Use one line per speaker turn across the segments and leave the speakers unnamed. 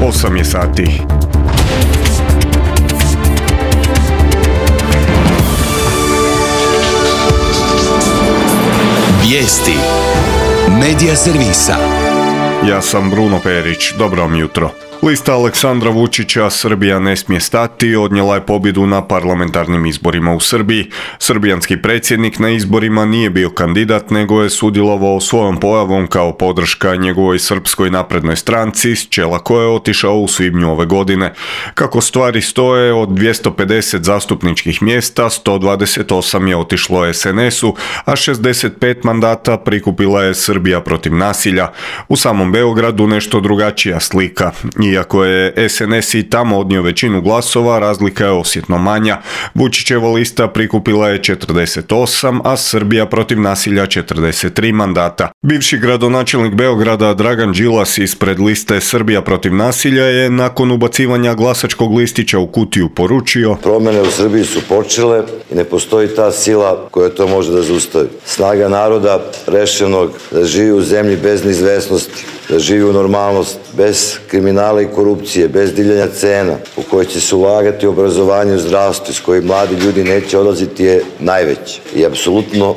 8 je sati.
Vijesti Medija servisa.
Ja sam Bruno Perić, dobro vam jutro. Lista Aleksandra Vučića Srbija ne smije stati odnijela je pobjedu na parlamentarnim izborima u Srbiji. Srbijanski predsjednik na izborima nije bio kandidat, nego je sudjelovao svojom pojavom kao podrška njegovoj Srpskoj naprednoj stranci, s čela koje je otišao u svibnju ove godine. Kako stvari stoje, od 250 zastupničkih mjesta, 128 je otišlo SNS-u, a 65 mandata prikupila je Srbija protiv nasilja. U samom Beogradu nešto drugačija slika. Iako je SNS i tamo odnio većinu glasova, razlika je osjetno manja. Vučićeva lista prikupila je 48, a Srbija protiv nasilja 43 mandata. Bivši gradonačelnik Beograda Dragan Đilas ispred liste Srbija protiv nasilja je nakon ubacivanja glasačkog listića u kutiju poručio:
promjene u Srbiji su počele i ne postoji ta sila koja to može da zaustavi. Snaga naroda rešenog da živi u zemlji bez neizvesnosti, da živi u normalnost, bez kriminala i korupcije, bez divljanja cena, u kojoj će se ulagati u obrazovanje i zdravstvo, iz kojih mladi ljudi neće odlaziti, je najveći. I apsolutno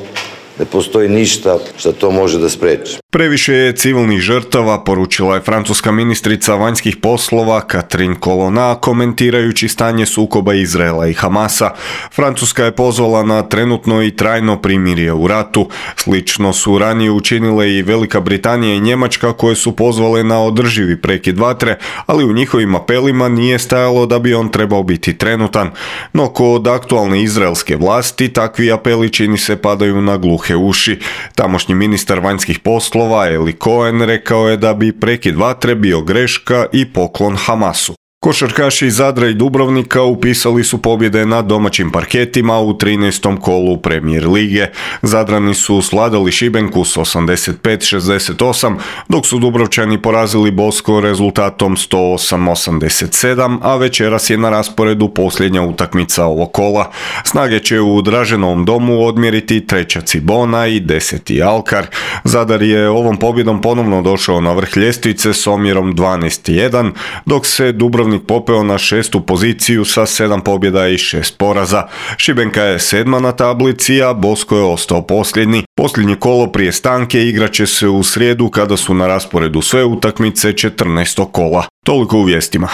ne postoji ništa što to može da spreči.
Previše je civilnih žrtava, poručila je francuska ministrica vanjskih poslova Catherine Colonna, komentirajući stanje sukoba Izraela i Hamasa. Francuska je pozvala na trenutno i trajno primirje u ratu. Slično su ranije učinile i Velika Britanija i Njemačka, koje su pozvale na održivi prekid vatre, ali u njihovim apelima nije stajalo da bi on trebao biti trenutan. No kod aktualne izraelske vlasti takvi apeli, čini se, padaju na gluhe uši. Tamošnji ministar vanjskih poslova Eli Cohen rekao je da bi prekid vatre bio greška i poklon Hamasu. Košarkaši iz Zadra i Dubrovnika upisali su pobjede na domaćim parketima u 13. kolu Premier lige. Zadrani su sladali Šibenku s 85-68, dok su Dubrovčani porazili Bosko rezultatom 108-87, a večeras je na rasporedu posljednja utakmica ovog kola. Snage će u Draženovom domu odmjeriti 3. Cibona i 10. Alkar. Zadar je ovom pobjedom ponovno došao na vrh ljestvice s omjerom 12-1, dok se Dubrovnik popeo na 6. poziciju sa 7 pobjeda i 6 poraza. Šibenka je 7. na tablici, a Bosko je ostao posljednji. Posljednje kolo prije stanke igraće se u srijedu, kada su na rasporedu sve utakmice 14. kola. Toliko u vijestima.